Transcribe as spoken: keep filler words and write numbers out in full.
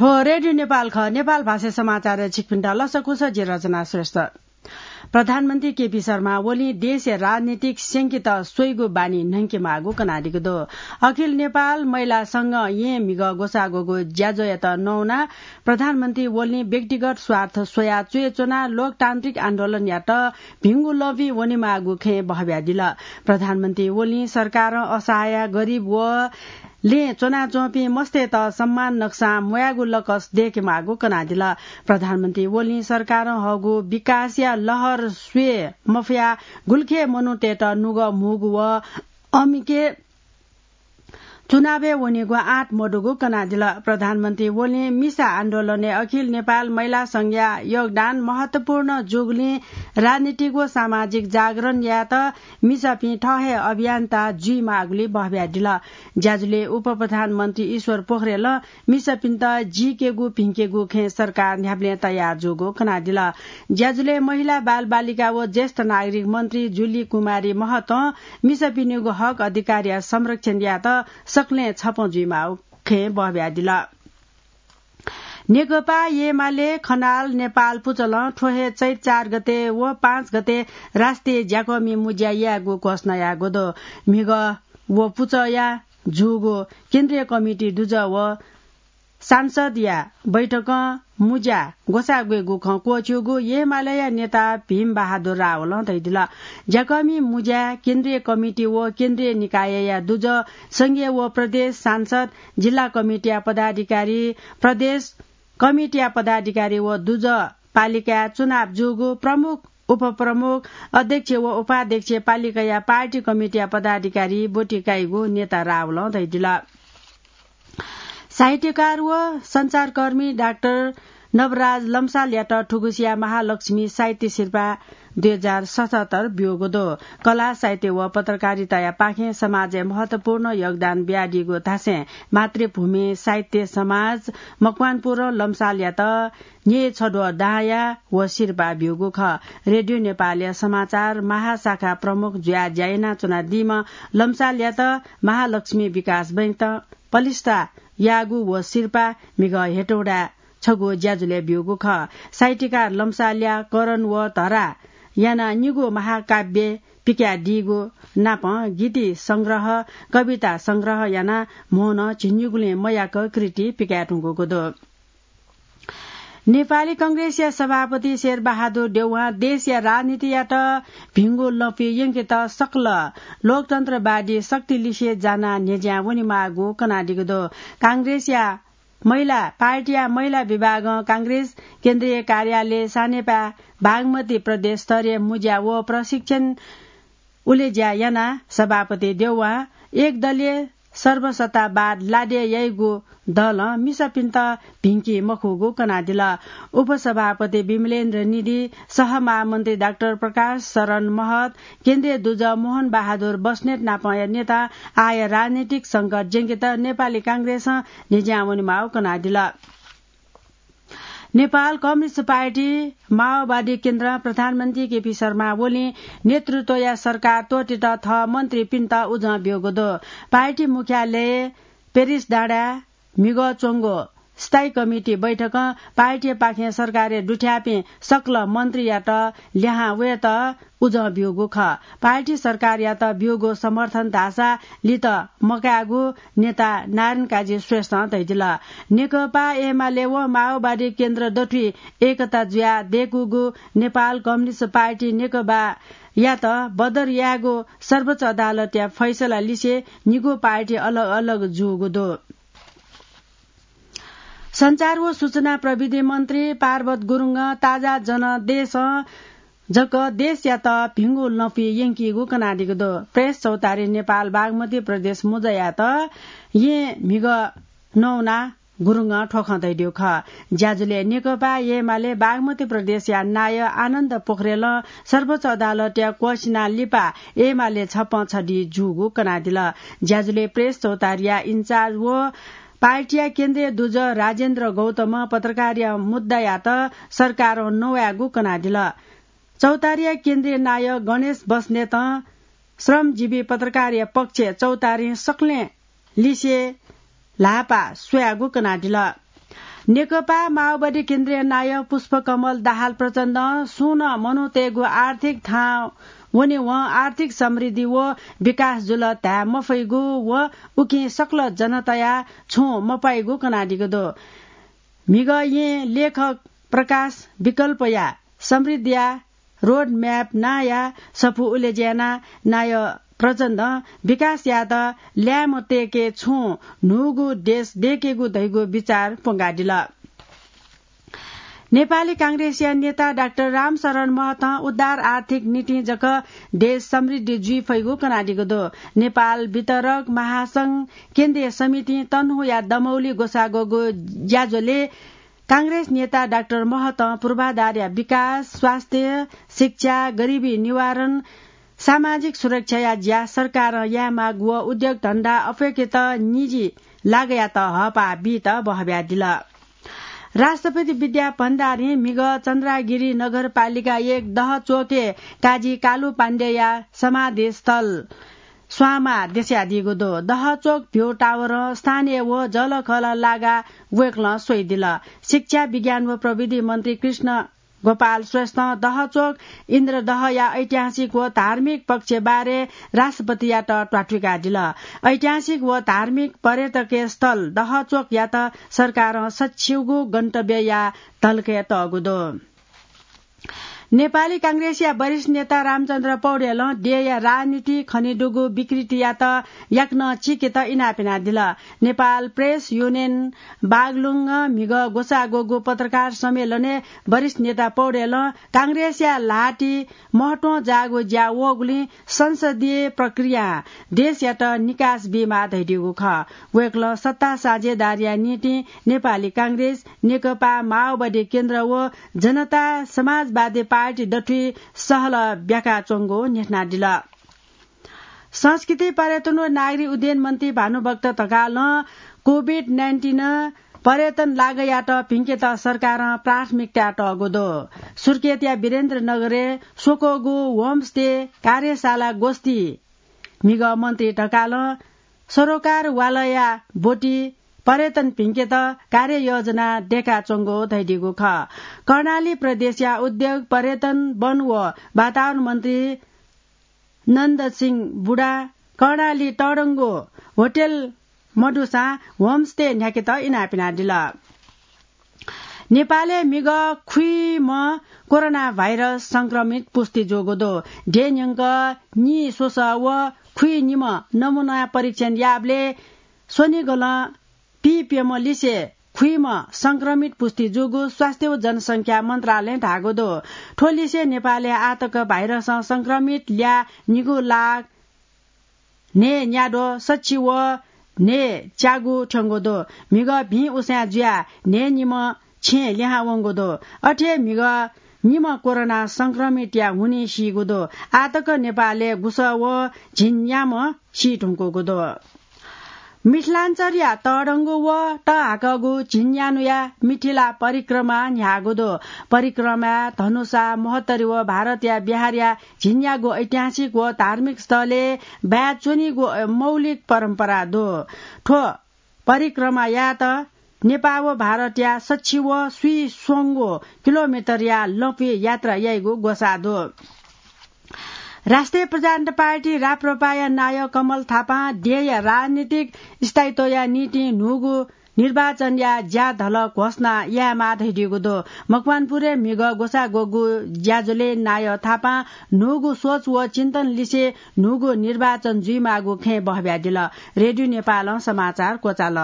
थ्व रेडियो नेपाल खः। नेपाल भाषा समाचार छिकपिन्त लसकुस, जि रचना श्रेष्ठ। प्रधानमन्त्री केपी शर्मा ओलीं देशया राजनीतिक स्यंकेत स्वइगु बानी न्हंकेमाःगु कनादीगु दु। अखिल नेपाल महिला संघं येँ म्हिगः ग्वसाः ग्वःगु ज्याझ्वःयात नवानाः प्रधानमन्त्री ओलीं व्यक्तिगत स्वार्थ स्वयाः च्वय् च्वनाः लोकतान्त्रिक आन्दोलनयात भिंगु लँपुइ वनेमाःगु खँय् बहब्यादिल। प्रधानमन्त्री ओलीं सरकारं असहाय, गरिब व लँय् च्वनाच्वंपिं मस्तय्त सम्मान नकसां म्वायेगु लकस दय्केमाःगु कनादिल। प्रधानमन्त्री ओलीं सरकारं हःगु विकासया लहर स्वये मफयाः गुलिखे मनूतय्त नुगः म्हूगु व अमिके चुनावय् वनेगु आँट मदुगु कनादिल। प्रधानमन्त्री ओलीं मिसा आन्दोलनय् अखिल नेपाल महिला संघया योगदान महत्वपूर्ण जूगुलिं राजनीतिक व सामाजिक जागरण यायेत मिसापिं थः हे अभियन्ता जुइमाःगुली बहब्यादिल। ज्याझ्वलय् उपप्रधानमन्त्री ईश्वर पोखरेलं मिसापिन्त जीकेगु भिंकेगु खँय् सरकार न्ह्याबलें तयार जूगु कनादिल। ज्याझ्वलय् महिला, बालबालिका व ज्येष्ठ नागरिक मन्त्री जुली कुमारी महतं मिसापिनिगु हक अधिकारया संरक्षण यायेत सकलें छपँ जुइमाःगु खँय् बहब्यादिल। नेकपा एमाले खनाल नेपाल पुचलं थ्व हे चैत चार गते व पाँच गते राष्ट्रिय ज्याकःमि मुज्या यायेगु घोषणा याःगु दु। म्हिगः व पुचःया जूगु केन्द्रीय कमिटी दुजः व सांसदया बैठकं मुज्या ग्वसाः ग्वयेगु खँ क्वःछिउगु एमालेया नेता भीम बहादुर रावलं धयादिल। ज्याकःमि मुज्या केन्द्रीय कमिटी व केन्द्रीय निकायया दुजः, संघीय व प्रदेश सांसद, जिल्ला कमिटीया पदाधिकारी, प्रदेश कमिटीया पदाधिकारी व दुजः पालिकाय् चुनाव जूगु प्रमुख, उपप्रमुख, अध्यक्ष व उपाध्यक्ष पालिकाया पार्टी कमिटीया पदाधिकारी ब्वति काइगु नेता रावलं धयादिल। साहित्यकार व सञ्चारकर्मी डाक्टर नवराज लम्सालयात थुगुसिया महालक्ष्मी साहित्य सिरपाः दुई हजार सतहत्तर ब्यूगु दु। कला, साहित्य व पत्रकारिताया पाखें समाजय् महत्वपूर्ण योगदान बियादीगु धासें मातृभूमि साहित्य समाज मकवानपुरं लम्सालयात न्यय् छद्वः दांया व सिरपाः ब्यूगु खः। रेडियो नेपालया समाचार महाशाखा प्रमुख जुयाः ज्या यानाच्वनादीम्ह लम्सालयात महालक्ष्मी विकास बैंकं पलिस्था याःगु व सिरपाः म्हिगः हेटौडाय् छगू ज्याझ्वलय् ब्यूगु खः। साहित्यकार लम्सालया करण व धरा यानाः निगू महाकाव्य पिकादीगु नापं गीति संग्रह, कविता संग्रह यानाः म्होनं झिंनिगुलिं मयाक कृति पिकायेधुंकूगु दु। नेपाली कांग्रेसया सभापति शेरबहादुर देउवां देशया राजनीतियात भिंगु लँपुइ यंकेत सकल लोकतन्त्रवादी शक्ति लिसे जानाः न्ह्यज्यां वनेमाःगु कनादीगु दु। कांग्रेसया महिला पार्टीया महिला विभागं कांग्रेस केन्द्रीय कार्यालय सानेपाय् बागमती प्रदेश स्तरीय मुज्या व प्रशिक्षण उलेज्या यानाः सभापति देउवां एकदलीय सर्वसत्तावाद लादे याइगु दलं मिसापिन्त भिंकी मखुगु कनादिल। उपसभापति विमलेन्द्र निधि, सहमहामन्त्री डाक्टर प्रकाश शरण महत, केन्द्रीय दुजः मोहन बहादुर बस्नेत नापंया नेता आः राजनीतिक संकट ज्यंकेत नेपाली कांग्रेसं न्ह्यज्यां वनेमाःगु कनादिल। नेपाल कम्युनिस्ट पार्टी माओवादी केन्द्रं प्रधानमन्त्री केपी शर्मा ओलीं नेतृत्वया सरकार त्वःतेत थः मन्त्रीपिन्त उजं ब्यूगु दु। पार्टी मुख्यालय पेरिस डाँडाय् म्हिगः च्वंगु स्थायी कमिटी बैठकं पार्टीपाखें सरकारय् दुथ्याःपिं सकल मन्त्रीयात ल्याहां वयेत उजं ब्यूगु खः। पार्टी सरकारयात ब्यूगु समर्थन धाःसा लित मकायेगु नेता नारायण काजी श्रेष्ठं धयादिल। नेकपा एमाले व माओवादी केन्द्र दथुइ एकता जुयाः दय्कूगु नेपाल कम्युनिस्ट पार्टी नेकपायात बदर यायेगु सर्वोच्च अदालतया फैसला लिसे निगू पार्टी अलग अलग जूगु दु। सञ्चार व सूचना प्रविधि मन्त्री पार्वत गुरुङं ताजा जनदेशं जक देशयात भिंगु लँपुइ यंकीगु कनादीगु दु। प्रेस चौतारी नेपाल बागमती प्रदेश मुज्यायात येँ म्हिगः नवानाः गुरुङं थ्व खँ धयादीगु खः। ज्याझ्वलय् नेकपा एमाले बागमती प्रदेशया नायः आनन्द पोखरेलं सर्वोच्च अदालतया क्वःछिना लिपा एमाले छपँ छधी जूगु कनादिल। ज्याझ्वलय् प्रेस चौतारीया इन्चार्ज व पार्टीया केन्द्रीय दुजः राजेन्द्र गौतमं पत्रकारया मुद्दायात सरकारं नवायेगु कनादिल। चौतारीया केन्द्रीय नायः गणेश बस्नेतं श्रमजीवी पत्रकारया पक्षय् चौतारीं सकलें लिसे ल्हाःपाः स्वयागु कनादिल। नेकपा माओवादी केन्द्रीय नायः पुष्पकमल दाहाल प्रचण्डं सुं नं मनूतय्गु आर्थिक थाहां वनेवं आर्थिक समृद्धि व विकास जुल धाये मफइगु व उकिं सकल जनताया छुं मपाइगु कनादीगु दु। म्हिगः यें लेखक प्रकाश विकल्पया समृद्धिया रोड म्याप नांया सफू उलेज्याना नायः प्रचण्डं विकास यायेत ल्याय्म्ह तय्के छुं न्हूगु देश दय्केगु धइगु विचार प्वंकादिल। नेपाली कांग्रेसया नेता डाक्टर रामशरण महतं उदार आर्थिक नीतिं जक देश समृद्धि जुइ फइगु कनादीगु दु। नेपाल वितरक महासंघ केन्द्रीय समितिं तनहुँया दमौली ग्वसाः ग्वःगु ज्याझ्वलय् कांग्रेस नेता डाक्टर महतं पूर्वाधारया विकास, स्वास्थ्य, शिक्षा, गरिबी निवारण, सामाजिक सुरक्षाया ज्या सरकारं यायेमाःगु व उद्योग धन्दा अप्वय्केत निजी लागयात हःपाः बीत बहब्यादिल। राष्ट्रपति विद्या भण्डारीं म्हिगः चन्द्रागिरी नगरपालिका एक दहचोकय् काजी कालु पाण्डेया समाधि स्थल स्वांमाः देछ्यादीगु दु। दहचोक भ्यू टावरं स्थानीय व जःलाखःला लागाः वय्कलं स्वयादिल। शिक्षा, विज्ञान व प्रविधि मन्त्री कृष्ण गोपाल श्रेष्ठं दहचोक इन्द्रदहया ऐतिहासिक व धार्मिक पक्ष बारे राष्ट्रपतियात त्वाथुइकादिल। ऐतिहासिक व धार्मिक पर्यटकीय स्थल दहचोकयात सरकारं सछिउगु गन्तव्यया धलखय् तःगु दु। नेपाली कांग्रेसया वरिष्ठ नेता रामचन्द्र पौडेलं देय्या राजनीति खनेदुगु विकृतियात याकनं चीकेत इनाप यानादिल। नेपाल प्रेस युनियन बागलुङं म्हिगः ग्वसाः ग्वःगु पत्रकार सम्मेलनय् वरिष्ठ नेता पौडेलं कांग्रेसया ल्हातिइ महत्वं जाःगु ज्या वःगुलिं संसदीय प्रक्रियां देशयात निकास बीमाः धयादीगु खः। वय्कलं सत्ता साझेदारीया निंतिं नेपाली कांग्रेस, नेकपा माओवादी केन्द्र व जनता समाजवादी पार्टी दथुइ सहलह ब्याकाच्वंगु न्ह्यथनादिल। संस्कृति, पर्यटन व नागरिक उड्डयन मन्त्री भानुभक्त ढकालं कोभिड नाइन्टिन पर्यटन लागयात भिंकेत सरकारं प्राथमिकता तःगु दु। सुर्खेतया वीरेन्द्रनगरय् स्वक्वःगु होमस्टे कार्यशाला गोष्ठी म्हिगः मन्त्री ढकालं सरोकारवालया ब्वति पर्यटन भिंकेत कार्ययोजना दय्काच्वंगु धयादीगु खः। कर्णाली प्रदेशया उद्योग, पर्यटन, वन व वातावरण मन्त्री नन्द सिंह बुढा कर्णाली तःधंगु होटल मदुसां होमस्टे न्ह्याकेत इनाप यानादिल। नेपालय् म्हिगः खुइम्ह कोरोना भाइरस संक्रमित पुष्टि जूगु दु। देय् न्यंक नीस्वसः व खुइनिम्ह नमूना परीक्षण याःबलय् स्वनिगलं पीप्यम्ह लिसे खुइम्ह संक्रमित पुष्टि जूगु स्वास्थ्य व जनसंख्या मन्त्रालयं धाःगु दु। थ्व लिसे नेपालय् आःतक भाइरसं संक्रमित ल्याः निगू लाख न्हय्न्याद्वः सछि व न्हय्च्यागू थ्यंगु दु। म्हिगः भिं उसाँय् जुयाः न्हय्निम्ह छेँय् लिहां वंगु दु। अथे हे म्हिगः निम्ह कोरोना संक्रमितया हुनिं सीगु दु। आःतक नेपालय् गुसः व झिंन्याम्ह सी धुंकूगु दु। मिथिलाञ्चलया तःधंगु व तःहाकःगु झिंन्यान्हुया मिथिला परिक्रमा न्ह्याःगु दु। परिक्रमाय् धनुषा, महोत्तरी व भारतया बिहारया झिंन्यागू ऐतिहासिक व धार्मिक स्थलय् बाय् च्वनीगु मौलिक परम्परा दु। थ्व परिक्रमा यायेत नेपाः व भारतया सछि व स्वीस्वंगू किलोमिटरया लँपुइ यात्रा याइगु ग्वसाः दु। राष्ट्रिय प्रजातन्त्र पार्टी राप्रपाया नायः कमल थापां देय्या राजनीतिक स्थायित्वया निंतिं न्हूगु निर्वाचनया ज्याधल घोषणा यायेमाः धयादीगु दु। मकवानपुरय् म्हिगः ग्वसाः ग्वःगु ज्याझ्वलय् नायः थापां न्हूगु सोच व चिन्तन लिसे न्हूगु निर्वाचन जुइमाःगु खँय् बहब्यादिल। रेडियो नेपालं समाचार क्वचाल।